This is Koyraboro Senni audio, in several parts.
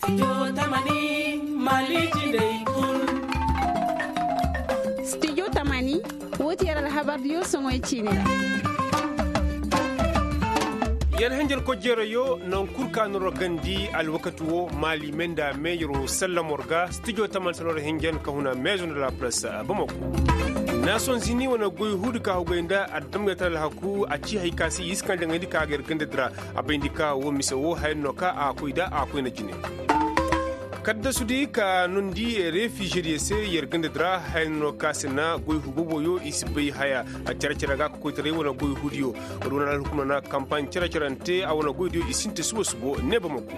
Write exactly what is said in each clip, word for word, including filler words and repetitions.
Studio tamani, woo ti yer alhabardiyo soŋoy ciini ra. Yer hinjan kojjeerayo naŋ kul ka no ra gandi alwakati woo maali me nda me yer woo sallam war ga studio tamani sallam war hinjan ka huna meezo nda la press bamako. Nason zini wane goy huudi ka hugay nda adamgay tara alhaku a ci hay ka se yiiskan jaŋayndi ka ga yer gandadi ra. A bayndi ka woo mise woo haya no ka a koy da a koyna jine. Kaddasudi ka nondi refiizediyo se yer gandadi ra haya no ka se na goy huuboboyo i si bay haya. Cere-cere ga ka koytaray wane goy huudiyo wala wane alhukuma na kampaaɲ cere-cerante a wane goydiyo i sinti subo-subo ne bamako.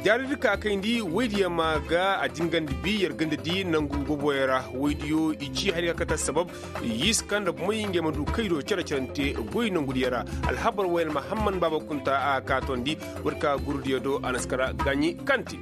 Jaaridi ka kayndi woydiyo ma ga a dingandi bi yer gandadi nangu boboyo ra. Woydiyo i ci hari ka kate assabab yiiska nda bomey ngey ma du kaydo cere-cerante goy nangudiyo ra. Alhabar woyne mahamman baaba kunta a ka tondi. War ka gurudiyo do a na si kara gaaɲi kanti.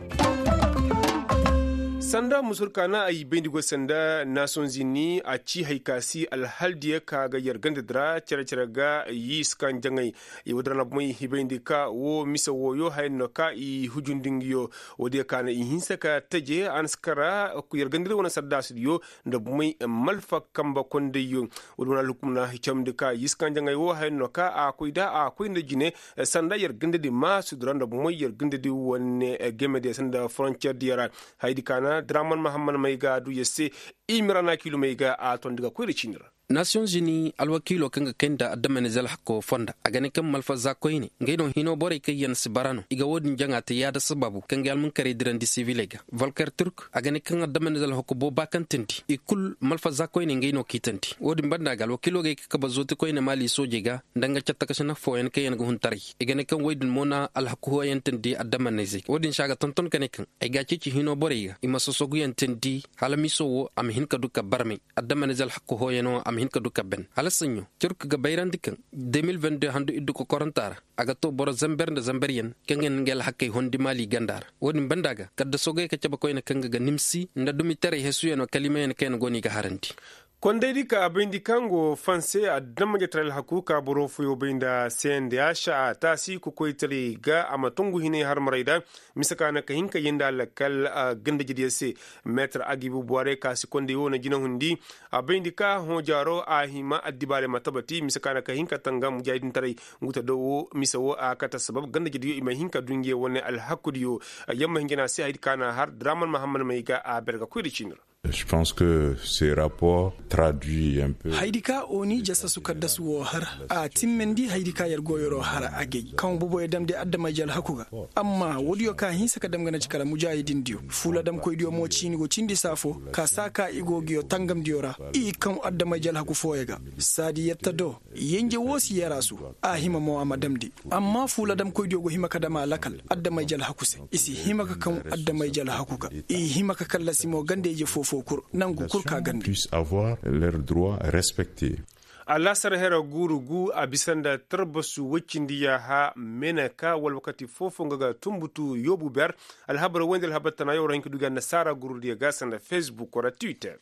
Sanda musur ka na ay bayndi go sanda nason zini a ci hay ka si alhaldiyo ka ga yer gandadi ra cere-cere ga yiiskan jaŋay. Woodi ra na bomey hibayndi ka woo mise wooyo haya no ka i hujundi nga yo. Woodiyo ka na i hinsa ka teje a na si kara yer gandadi wane saddaasidiyo nda bomey malfa kamba kondayyo. Woodi wane alhukum na hicamndi ka yiiskan jaŋay woo haya no ka a koy da a koy nda jine. Sanda yer gandadi maasudi ra nda bomey yer gandadi wane gemediyo sanda foroncerdiyo ra. Hayadi ka na draman mahamman may ga a du yer se. Imira na kiilumey ga a tondi ga koy nda ciini ra. Nasiyoŋ zini alwakiilo kaŋ ga kay nda adamanize alhakko fonda a ga ne kaŋ malfazza koyne ngey no hino borey kaŋ yaŋ si bara no i ga woodin jaŋa te yaada sababu kaŋ ga almunkarey dirandi siviley ga. Volker turk a ga ne kaŋ adamanize alhakko booba kaŋ tindi i kul malfazza koyne ngey no k'i tandi woodin banda ga alwakiilo ga ay ka kabe zooti koyne maali soojey ga nda nga cattakasinah fooyaŋ kaŋ yaŋ ga hun taray. I ga ne kaŋ woy din mo na alhakku hooyantandi adamanize woodin se a ga tonton ka ne kaŋ ay ga a ceeci hino borey ga i ma sosoguyantandi hala miso wo a ma hin ka du ka barmay. Adamanize alhakku hooyano a ma hin ka du ka ben hala saɲɲo turk ga bayrandi kaŋ de mil vingt deux handu iddu kokoranta ra a ga to boro zamber nda zamberyaŋ kaŋ ga na ngey alhakkey hondi maali ganda ra. Woodin banda ga kaddaso ga ye ka cabe koyne kaŋ ga ga nimsi nda dumitaray hesuyaŋo kalimayaŋ kaŋ yaŋ go no i ga harandi. Kondaydi ka a bayndi kaŋ go fanse adamajetaray alhaku ka boro fooyo bay nda sendeya šaa taasi kokoytaray ga a ma tongu hinay harmarayda. Mise ka na ka hin ka yenda lakkal gandajidiyo se. Meetar agibu buwaray ka si konday wo na jinahundi a bayndi ka hõ jaaro a hima addibaaray ma tabati mise ka na ka hin ka tanga mujaahidintaray. Ngu ta do wo mise wo a kate sabab gandajidiyo i ma hin ka du ngey wane alhakudiyo. Yamma hinjana se haydi ka na har draman mahammad may ga a ber ga koy da ciini ra. Je pense que ces rapports traduit un peu. Haydi ka oni jasasu kaddasu wo har a timmandi haydi ka yer go yeroo har agay kaŋ boboyo damndi adamay jalhaku ga. Amma woodiyo ka hinsa ka dam ga na ci kala mujaahidindiyo fuuladamkoydiyo mo ciini go cindi saafo ka saa ka i go ga yo tangamdiyo ra. I kaŋ adamay jalhaku fooyo ga saadi yer ta do. Yenje wo si yaraasu a hima mo a ma damndi. Amma fuuladamkoydiyo go hima ka dam a lakal adamay jalhaku se. I si hima ka kaŋ adamay jalhaku ga. I hima ka kallasi mo ganda-ije foo-foo kul nangu kul ka ganda. Puisse avoir leur droit respecte. Alaasar hera guuru gu a bisa nda tarbasu woy cindi yaaha meneka wala wakati foo-foo nga ga tumbutu yoobu ber. Alhabar woy nda alhabar tana yaw ra hin ka du ga annasaara guurudiyo ga sanda fesbuk wala twitter.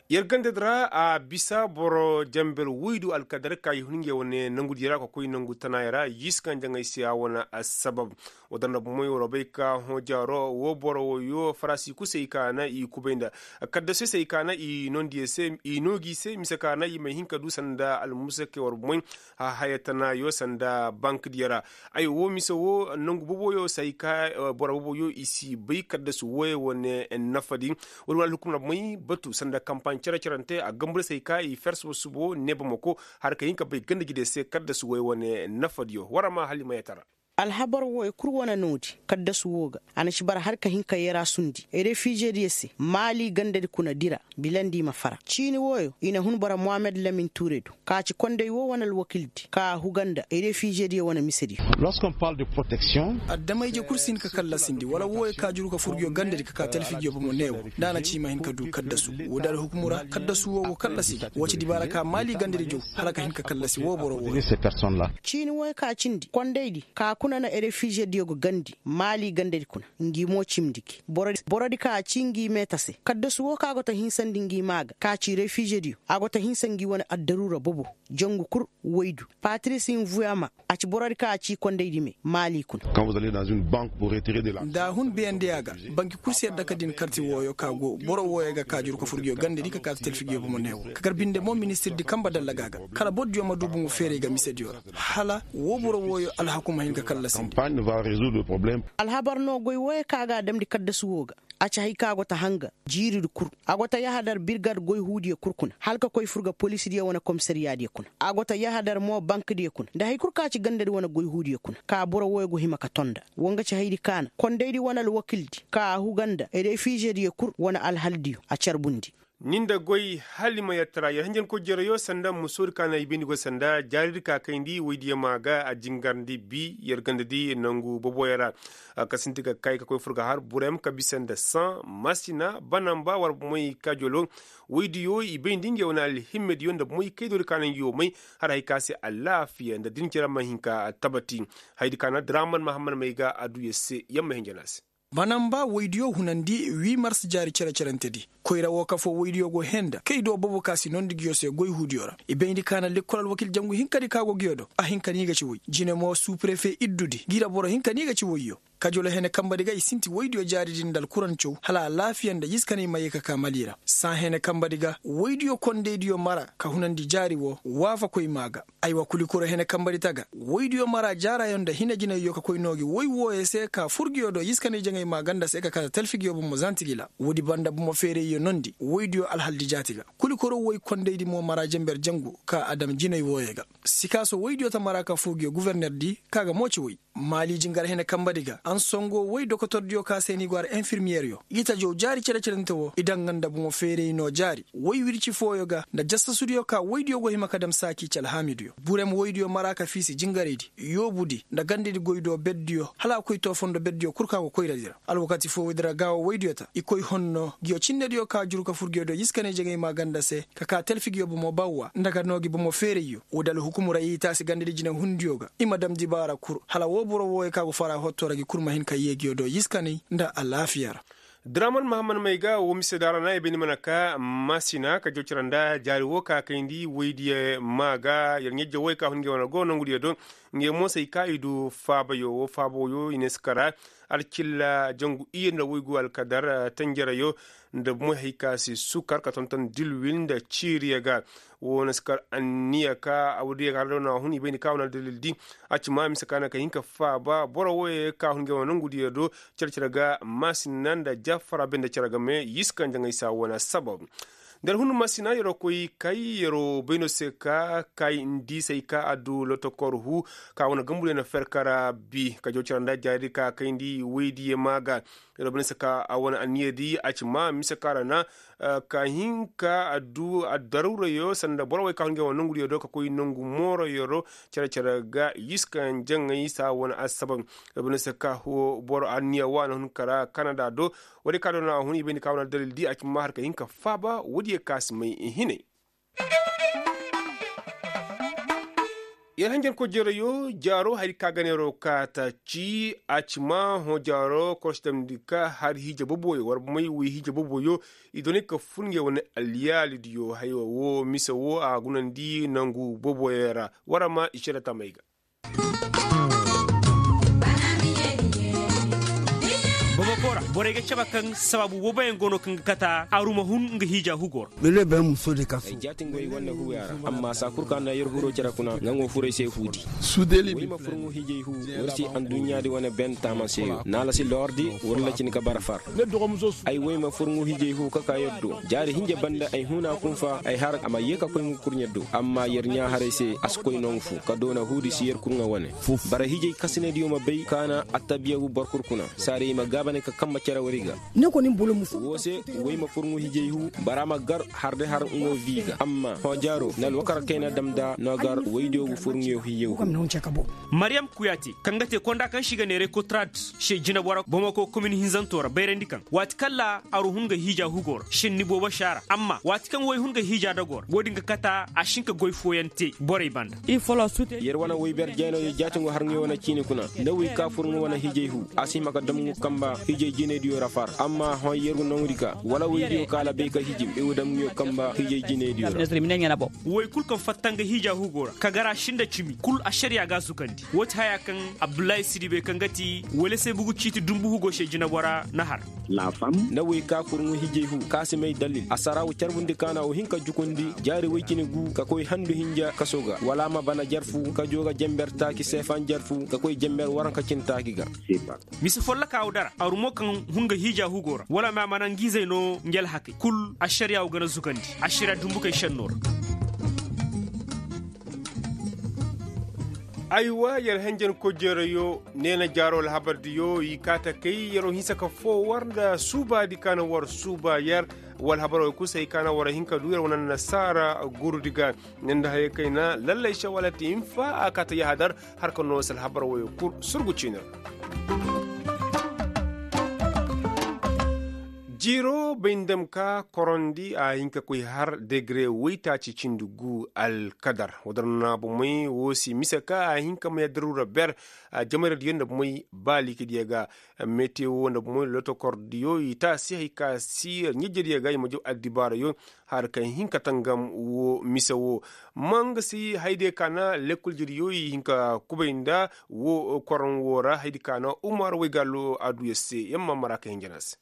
Yer gandadi ra a bisa boro jamber woydu alkadar ka i hun ngey wane nangudi ra ka koy nangu tanaaya ra yiisi kaŋ jaŋay se a wane assabab. Wo danda bomey war bay ka hõ jaaro wo boro woyo farasi kusey ka na i kubay nda kaddasey se i ka na i nondi i se i no gi se mise ka na i ma hin ka du sanda almusakey war bomey. Haya tanayo sanda bankdiyo ra. Ay wo mise wo nangu boboyo se ay ka boro boboyo i si bay kaddasu woyey wane nafadi. Wala wala hukumna bomey batu sanda kampaaɲ cere-cerante a gambu da se ay ka i fer subo-subo ne bamako har ka hin ka bay ganda jide se kaddasu woyey wane nafadiyo war a ma hala i ma yatara. Alhabar woyey kul wane noodi kaddasu wo ga a na ci bara har ka hin ka yerasundi refizediyo se maali gandadi kuna dira. Bilandi i ma fara ciini woyo i na hun bara mohammed lamin ture do ka ci konday wo wane alwakildi ka huga nda refizediyo wane misediyo. Addamayje kul si hin ka kallasindi wala woyo ka juru ka fur ngiyo gandadi ka ka talfijiyo bomo neewo. Nda a na ci i ma hin ka du kaddasu woodi alhukumu ra kaddasu wo go kallasindi wo ci dibaara ka maali gandadi jow hala ka hin ka kallasi wo boro wo. Ciini woyo ka cindi kondaydi ka Kuna na refiizediyo ga gandi maali gandadi kuna. Ngi mo cimndi gi borodi ka a ci ngi meeta se kaddasu wo kaŋ a go ta hinsandi ngi maa ga ka ci refiizediyo a go ta hinsa ngi wane addaruura bobo. Jangu kul waydu patris nvuyama a ci borodi ka a ci kondaydi me maali kuna. Nda a hun beyandiya ga banki kul si yadda ka din karti wooyo ka go boro wooyo ga ka juru ka fur ngiyo gandadi ka kaati talfi ngiyo bomo neewo ka gar binde mo ministirdi kamba dallaga ga kala bordiyo ma du bomo feeray ga misediyo ra. Hala woo boro wooyo alhaku ma hin ka kallasindi. Alhabar no goy wooyo kaŋ a ga a damndi kaddasu woo ga a ci hay kaŋ a go ta hanga jiiridi kul. A go ta yahadar birgad goy huudiyo kul kuna hala ka koy fur ga poliisidiyo wane komisariyaadiyo kuna. A go ta yahadar mo bankdiyo kuna nda hay kul kaŋ a ci gandadi wane goy huudiyo kuna ka boro wooyo go hima ka tonda. Woo nga ci haydi kaana kondaydi wane alwakildi ka a huga nda refiizediyo kul wane alhaldiyo a carbundi. Ni nda goy hala i ma yer tara yer hanjankoy jereyo sanda musoodi ka na i bayndi goy sanda jaaridi ka kayndi woydiyo maa ga a jingarndi bi yer gandadi nangu boboyo ra. Ka sinti ka kay ka koy fur ga har burem ka bisa nda san masina banamba war bomoy kajolo. Woydiyo i bayndi ngey wane alhimmediyo nda bomoy kaydoodi ka na ngi wo may har hay ka se alaafiya nda din cere ma hin ka tabati. Haydi ka na draman mahammad may ga a du yer se yer ma hin jana se. Banamba woydiyo hunandi wii mars jaari cere-cerentedi. Koyra woo kafoo woydiyo go hee nda kay do bobo ka si noondi ngiyo se goy huudiyo ra i bayndi ka na lekkol alwakil jangu hinkadi ka go ngiyo do a hin ka ni ga ci woy jine mo suuprefe iddudi ngi ra boro hin ka ni ga ci woyyo. Kajolo hene kambadi ga i sinti woydiyo jaaridi nda alkurancaw hala alaafiya nda yiskanay ma yee ka ka mali ra. Saa hene kambadi ga woydiyo kondaydiyo mara ka hunandi jaari woo waafakoy maa ga. Aywa kulikuro hene kambadi taga woydiyo mara jaaraayo nda hinajinayyo ka koy noo gi woy wooyo se ka fur ngiyo do yiskanay jaŋay maa ganda se ka kaata talfi ngiyo bomo zanti gi la. Woodi banda bomo feerayyo noondi woydiyo alhaldi jaati ga. Kulikuro woy kondaydi mo mara jenber jangu ka a dam jinay wooyo ga. Sikaaso woydiyo ta mara ka fur ngiyo guvernerdi ka ga mo ci woy. Maali jingar hene kambadi ga ansongo woy dokotordiyo ka se ni go har enfirmiyeryo i ta jaw jaari cere-cerente woo i daŋ nga nda bomo feeray noo jaari woy wirci fooyo ga nda jassasudiyo ka woydiyo go hima ka dam saaki ci alhaamidiyo burem woydiyo mara ka fiisi jingaraydi yoobudi nda gandadi goy do berdiyo hala a koy too fondo berdiyo kul ka go koyradi ra. Alwakati foo woydi ra gaawo woydiyo ta i koy honno ngiyo cinnediyo ka juru ka fur ngiyo do yiskanay jaŋay maa ganda se ka kaa talfi ngiyo bomo bawwa nda ka noo gi bomo feerayyo. Woodi alhukumu ra i taasi gandadi jinehundiyo ga i ma dam dibaara kul hala woo boro wooyo ka go fara hotto ra gi kul ma hin ka yee ngiyo do yiskanay nda alaafiya ra. Draman mahammad may ga woo mise daara na i bay ni mana ka masina ka joocira nda jaari woo ka kayndi woydiyo maa ga yer ɲajja wooyo ka hun ngey wane go nongudiyo do. Ngey mo se ay ka i du faabayo woo faaba wooyo i ne si kara alcilla jangu iyye nda woygu alkadar tanjarayo nda moy hay ka se sukar ka tonton dilwil nda ciiriyo ga. Woo na si kar anniya ka a woodiyo ga har da no a hun i bay ni ka wane aldalildi a ci ma mise ka na ka hin ka faaba boro wooyo ka hun ngey wane nongudiyo do. Cere-cere ga maasina nda jaffara bay nda cere game yiskan jaŋay se a wane assabab. Nda alhun maasina yer'o koy kay yer'o bay no se ka kay nda i se ay ka a du lotokor hu ka wane gambudiyo na fer kara bi ka jaw cere nda jaaridi ka kayndi woydiyo maa ga. Yer'o bay no se ka a wane anniyadi a ci ma mise ka ra na ka hin ka a du addaruurayo sanda boro wey ka hun ngey wane nongudiyo do ka koy nongu mooro yer'o. Cere-cere ga yiskan jaŋay se a wane assabab. Yer'o bay no se ka boro anniya wa na hun kara kanada do. Woodiyo ka do no a hun i bay ni ka wane aldalildi a ci ma har ka hin ka faaba woodiyo ka si may i hinay. Yer hanjankoy jereyo jaaro hari ka ga neeroo kaata ci a ci ma hõ jaaro korsi damndi ka har hiije boboyo war may wi hiije boboyo. I doonay ka fur ngey wane alyaalidiyo haywa woo mise woo a gunandi nangu boboyo ra. War ma i cere tamey ga. Bamako ra borey ga cabe kaŋ sabaabu wooboyaŋ go no kaŋ ga kata aruma hun nga hiija hugo ra. Ay jaatin go ay wane huuya ra amma saa kul kaŋ na yer huro cere kuna nga ŋwa furey se huudi. Woy ma furŋu hiijay hu war si anduɲɲaadi wane ben taama se yo naala si lordi war lacin ga bara far. Ay woy ma furŋu hiijay hu ka ka yer do jaari hinja banda ay huna kunfa ay har a ma ye ka koy ngu kurɲe do amma yer ɲa haray se a si koy nongu fu ka doona huudi si yer kurŋa wane. Bara hiijay kasinediyo ma bay kaana attabiya gu boro kul kuna saari ay ma gaabane ka Ma cere wari ga. Woo se, woy ma furŋu hijay hu, bara ma gar har day har ngo vi ga amma hõ jaaro na alwakar kayna dam nda no gar woydiyo ga furŋuyo hijay hu. Maryam kuyaate kaŋ ga te konda kaŋ se i ga neeray kotrad se jinabora bamako komin hinzanto ra bayrandi kaŋ waati kaŋ ra aru hun ga hiija hugo ra šenni boobo se a ra amma waati kaŋ woy hun ga hiija dago ra wo-din ga kata a si hin ka goy fooyaŋ te borey banda. Yer wane woy ber jeenooyo jaati ngo har nga wane ciini kuna, nda woy ka fur nga wane hijay hu, a si hima ka dam nga kamba hijay jinaydiyo ra far amma hõ yer ga noŋ di ka wala woydiyo ka alabay ka hijim i ga dam nga kamba hijay jinaydiyo ra. Woy kul kaŋ fatta nga hiija hugo ra ka gar a si nda cimi kul ašariya ga a zukandi. Woo ti haya kaŋ abdullahi sidibe kaŋ ga ti wala se bugu ciiti dumbu hugo se jinabora na har. Na woy ka fur nga hijay hu ka si may dalil a sara wa carbundi ka na wa hin ka jukundi jaari woy cine gu ka koy handu hinja kaso ga wala a ma bana jar fu ka joo ga jenber taaci seefan jar fu ka koy jenber waranka cine taaci ga. Mise folloka wo dara aru mo kaŋ hun ga hiija hugo ra wala ma a mana nga izey no nga alhakey kul ašariya wo gana zugandi ašariya dumbukey šenno ra. Aywa yer henjen kojeerayo neena jaaro alhabardiyo i kaa ta kay yer wo hinsa ka foo war nda suubaadi ka na war suuba yer. Wala habaroo kul se hay ka na war hin ka duu yer wane annasaara gurudi ga. Nda hayey kayna lallay se wala ti hinfa a kaa ta yahadar har ka noo se alhabar woyoo kul surgu ciini ra. Jiiroo bay nda ma ka korondi a hin ka koy har degre woytaaci cindi gu alkadar. Woo dar na bomey woo si mise ka a hin ka may addaruura ber. Jamayradiyo nda bomey baalikidiyo ga. Mete woo nda bomey lotokordiyo i taasi hay ka si ɲajediyo ga i ma jaw addibaarayo har ka hin ka tangam woo mise woo. Ma nga si haydiyo ka na lekkol jediyo i hin ka kubay nda woo koron woo ra haydi ka na umar waygaalo adduya se yamma mara ka hinjana se.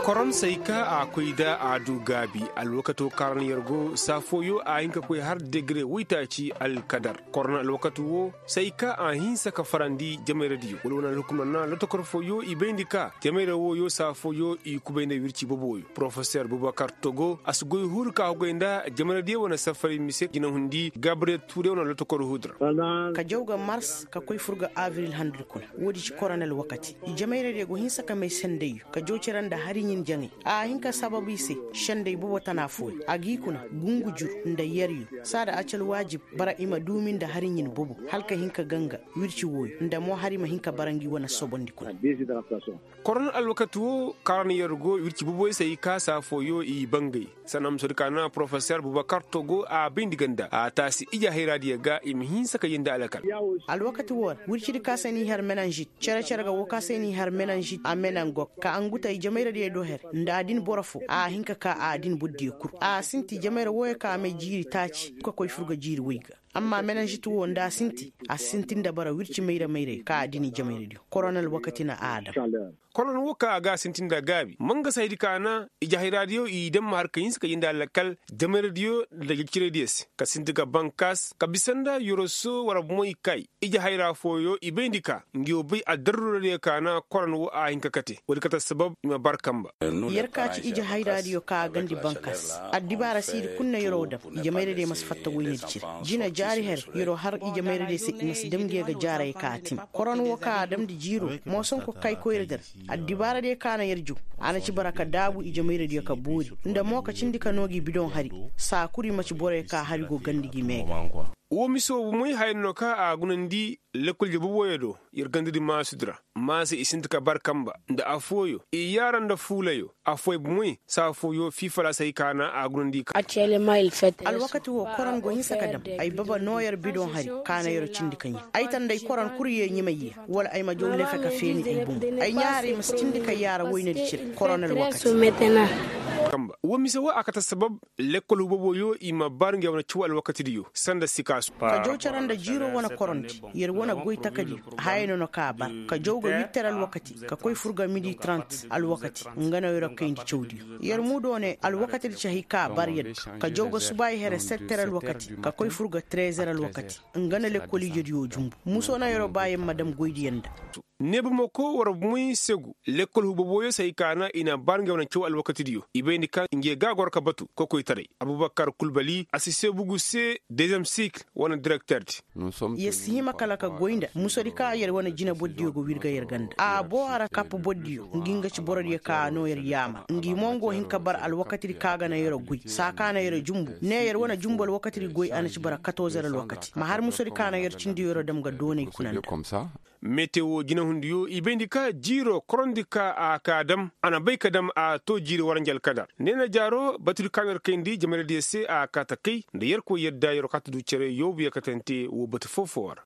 Koron say ka a koy nda a du gaabi. Alwakato kaaran yer go saa fooyo a hin ka koy har degre woytaaci alkadar. Koron alwakati woo say ka a hinsa ka farandi jamayradiyo wala wane alhukumna na lotokor fooyo i bayndi ka jamayra wooyo saa fooyo i kubay nda wirci boboyo porofeser bubakar togo a si goy huru ka hugay nda jamayradiyo wane safari mise jinahundi gabriel tuure wane lotokor hudu ra. Ka jaw ga mars ka koy fur ga abril handudi kuna. Woodi ci koronel wakati i jamayradiyo go hinsa ka may sendayyo ka jaw cere nda hari ɲin jaŋay. A hin ka sabab i se sendey bobo tana fooyo a g'i kuna gungu jur nda yeryo. Saada acal waajib bara i ma duumi nda hari ɲin bobo hala ka hin ka ganga wirci wooyo nda mo hari ma hin ka bara ngi wane sobondi kuna. Koron alwakati woo karan yer go wirci boboy se i kaasa fooyo i bangay. Sanda musodi ka na porofeser bubakar togo a bayndi ganda a taasi ije hayraadiyo ga i ma hinsa ka yee nda alkal. Alwakati woo ra wircidi ka se n'i har menanžit cere-cere ga woo ka se n'i har menanžit a menangok ka anguta i jamayradiyo do her nda adin boro foo a hin ka kaa a adin bordiyo kul a sinti jamayra wooyo ka a may jiiri taaci ka koy fur ga jiiri woy ga. Amma menanžit woo nda a sinti a si sinti nda bara wirci mayra-mayray ka a dini jamayradiyo koronel wakati na a dam. Koron woo ka a ga a sinti nda gaabi ma nga si haydi ka na ije hayraadiyo i dam ma har ka hinsa ka yee nda alkal jamayradiyo nda jajciraydiyo se ka sinti ga bankaas ka bisa nda yoroso war bomo i kay. Ije hayra fooyo i bayndi ka ngi wo bay addaruradiyo ka na koron woo a hin ka kate woodi kate sabab i ma bar kamba. Yer ka ci ije hayraadiyo ka a gandi bankaas addibaara siidi kul na yer woo dam. Ije mayradiyo ma si fatta woynadi cire jina jaari her yer woo har ije mayradiyo se i ma si dam ngi yer ga jaarayey ka a tim koron woo ka a damndi jiiroo moosonko kay koyra der. Addibaaradiyo ka na yer jow a na ci bara ka daabu ije mayradiyo ka boori nda mo ka cindi ka noo gi bidoŋ hari. Saa kul i ma ci boroyo ka hari go gandi gi mee ga. Woo mise woo bomey haya no ka a gunandi lekkolje boboyo do yer gandadi maasudi ra. Maasa i sinti ka bar kamba nda affooyo i yaara nda fuulayo affooyo bomey saa fooyo fii falaasey ka na a gunandi ka. Alwakati woo koron go hinsa ka dam ay baba noo yer bidoŋ hari ka na yer cindi ka ɲaa ay tanday koron kul yee ɲimay ya wala ay ma jaw lefe ka feeni ay bomo. Ay ɲaaray ma si cindi ka yaara woynadi cire koron alwakati. Woo mise woo a kate sabab lekkol huboboyo i ma bar nge wane caw alwakatidiyo sanda sikaasu. Ka jaw cere nda jiiroo wane korondi yer wane goy takadiyo. Haya no na ka a bar ka jaw ga wittar alwakati ka koy fur ga midi trant alwakati. Nga no yer kayndi cawdiyo yer muudoo ne alwakatidi ci hay ka a bar yer ga ka jaw ga subaayi here setter alwakati ka koy fur ga trezer alwakati. Nga na lekkol ijediyo jumbu muso na yer ba yer ma dam goydiyo nda. Neebamako war moy segu lekkol hubaboyo se hay ka na i na bar ngey wane caw alwakatidiyo i bayndi ka ngey ga goro ka batu kokoytaray abubakar kulbali a si seebugu se dezem sikil wane direkterdi. Yer si hima kala ka goy nda musodi ka yer wane jina bordiyo ga wirga yer ganda a boo a ra kapp bordiyo ngi nga ci borodiyo ka no yer yaamar ngi mo nga wo hin ka bar alwakatidi ka ga na yer goy saa ka na yer jumbu ne yer wane jumbu alwakatidi goy a na ci bara katozer alwakati ma har musodi ka na yer cindi yer dam ga doonay kuna nda. Metewo jinahundiyo i bayndi ka jiiro korondi ka a ka dam a na bay ka dam a to jiiri waranji alkadar neena jaaro batudi ka no yer kayndi jamaradiyo se a ka ta kay nda yerkoy yadda yer ka ta du cere yoobu yer katante woo batu foo-foo ra.